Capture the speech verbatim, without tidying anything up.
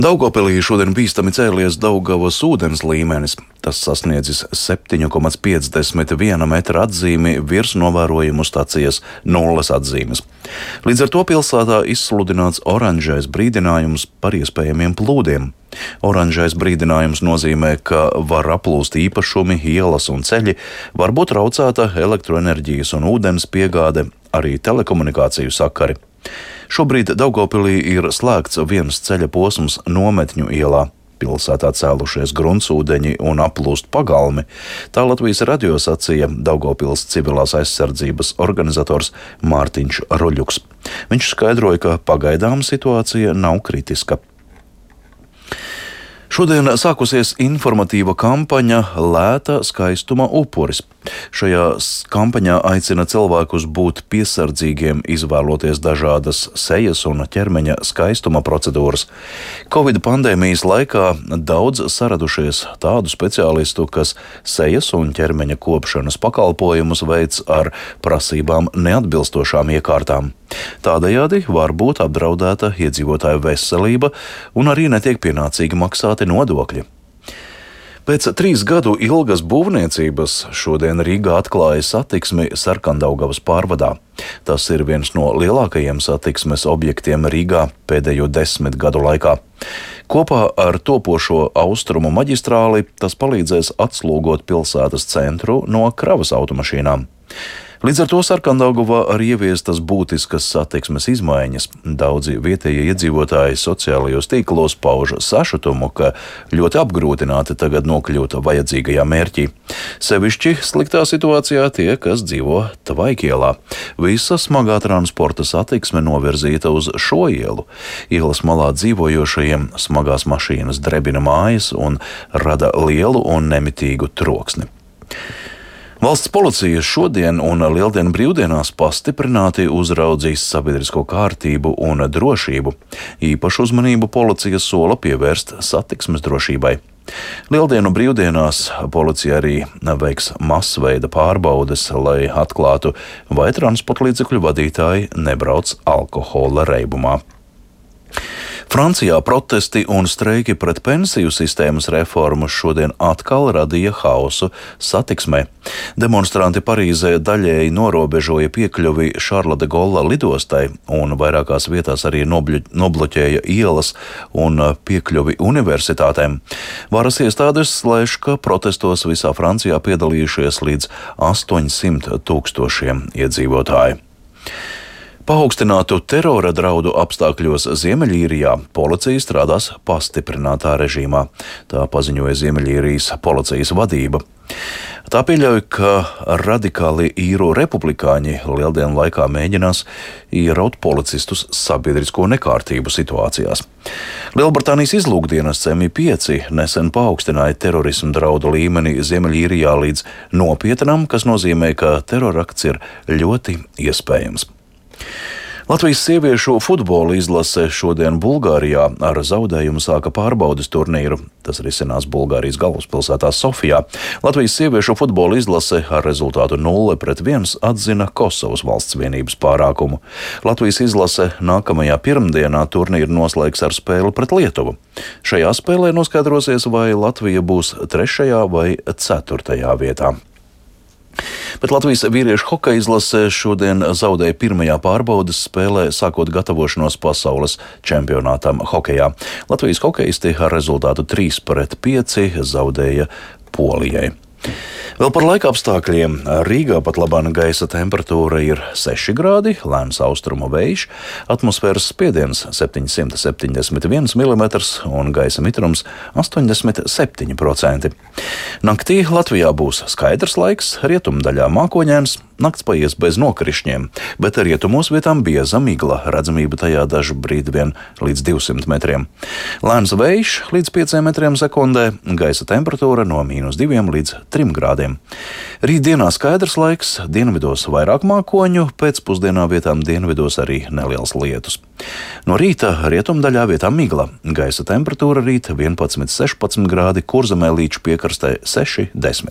Daugavpilī šodien bīstami cēlies Daugavas ūdens līmenis. Tas sasniedzis septiņu komats piecdesmit viena metra atzīmi virs novērojumu stacijas nulles atzīmes. Līdz ar to pilsētā izsludināts oranžais brīdinājums par iespējamiem plūdiem. Oranžais brīdinājums nozīmē, ka var aplūst īpašumi, ielas un ceļi, var būt traucēta elektroenerģijas un ūdens piegāde, arī telekomunikāciju sakari. Šobrīd Daugavpilī ir slēgts viens ceļa posms Nometņu ielā. Pilsētā cēlušies gruntsūdeņi un aplūst pagalmi. Tā Latvijas radio sacīja Daugavpils civilās aizsardzības organizators Mārtiņš Roļuks. Viņš skaidroja, ka pagaidām situācija nav kritiska. Šodien sākusies informatīva kampaņa Lēta skaistuma upuris. Šajā kampaņā aicina cilvēkus būt piesardzīgiem, izvēloties dažādas sejas un ķermeņa skaistuma procedūras. Covid pandēmijas laikā daudz saradušies tādu speciālistu, kas sejas un ķermeņa kopšanas pakalpojumus veic ar prasībām neatbilstošām iekārtām. Tādējādi var būt apdraudēta iedzīvotāju veselība un arī netiek pienācīgi maksāti nodokļi. Pēc trīs gadu ilgas būvniecības šodien Rīgā atklāja satiksmi Sarkandaugavas pārvadā. Tas ir viens no lielākajiem satiksmes objektiem Rīgā pēdējo desmit gadu laikā. Kopā ar topošo austrumu maģistrāli tas palīdzēs atslūgot pilsētas centru no kravas automašīnām. Līdz ar to Sarkandaugavā arī ieviestas būtiskas satiksmes izmaiņas. Daudzi vietējie iedzīvotāji sociālajos tīklos pauž sašutumu, ka ļoti apgrūtināti tagad nokļūt vajadzīgajā mērķī. Sevišķi sliktā situācijā tie, kas dzīvo Tvaikielā. Visa smagā transporta satiksme novirzīta uz šo ielu. Ielas malā dzīvojošajiem smagās mašīnas drebina mājas un rada lielu un nemitīgu troksni. Valsts policija šodien un Lieldienu brīvdienās pastiprināti uzraudzīs sabiedrisko kārtību un drošību. Īpašu uzmanību policija sola pievērst satiksmes drošībai. Lieldienu brīvdienās policija arī veiks masveida pārbaudes, lai atklātu, vai transporta līdzekļu vadītāji nebrauc alkohola reibumā. Francijā protesti un streiki pret pensiju sistēmas reformu šodien atkal radīja haosu satiksmē. Demonstranti Parīzē daļēji norobežoja piekļuvi Šarla de Golla lidostai un vairākās vietās arī nobļu, nobloķēja ielas un piekļuvi universitātēm. Varas iestādes slēš, ka protestos visā Francijā piedalījušies līdz astoņsimt tūkstošiem iedzīvotāju. Paaugstinātu terora draudu apstākļos Ziemeļīrijā policija strādās pastiprinātā režīmā. Tā paziņoja Ziemeļīrijas policijas vadība. Tā pieļauj, ka radikāli īru republikāņi Lieldienu laikā mēģinās ieraut policistus sabiedrisko nekārtību situācijās. Lielbritānijas izlūkdienests M I pieci nesen paaugstināja terorismu draudu līmeni Ziemeļīrijā līdz nopietnam, kas nozīmē, ka terorakts ir ļoti iespējams. Latvijas sieviešu futbola izlase šodien Bulgārijā ar zaudējumu sāka pārbaudes turnīru. Tas risinās Bulgārijas galvaspilsētā Sofijā. Latvijas sieviešu futbola izlase ar rezultātu nulle pret viens atzina Kosovas valsts vienības pārākumu. Latvijas izlase nākamajā pirmdienā turnīru noslēgs ar spēli pret Lietuvu. Šajā spēlē noskaidrosies, vai Latvija būs trešajā vai ceturtajā vietā. Bet Latvijas vīriešu hokeja izlase šodien zaudēja pirmajā pārbaudes spēlē, sākot gatavošanos pasaules čempionātam hokejā. Latvijas hokeisti ar rezultātu trīs pret pieci zaudēja Polijai. Vēl par laika apstākļiem. Rīgā pat labāk gaisa temperatūra ir seši grādi, lēns austrumu vējš, atmosfēras spiediens septiņsimt septiņdesmit viens milimetrs un gaisa mitrums astoņdesmit septiņi procenti. Naktī Latvijā būs skaidrs laiks, rietumdaļā mākoņains, nakts paies bez nokrišņiem, bet rietumos vietām bieza migla, redzamība tajā dažu brīdi vien līdz divsimt metriem. Lēns vējš līdz pieciem metriem sekundē, gaisa temperatūra no mīnus diviem līdz trim grādiem. Rītdienā skaidrs laiks, dienvidos vairāk mākoņu, pēcpusdienā vietām dienvidos arī neliels lietus. No rīta rietumdaļā vietām migla, gaisa temperatūra rīt vienpadsmit sešpadsmit grādi, Kurzemē līča piekrastē seši desmit.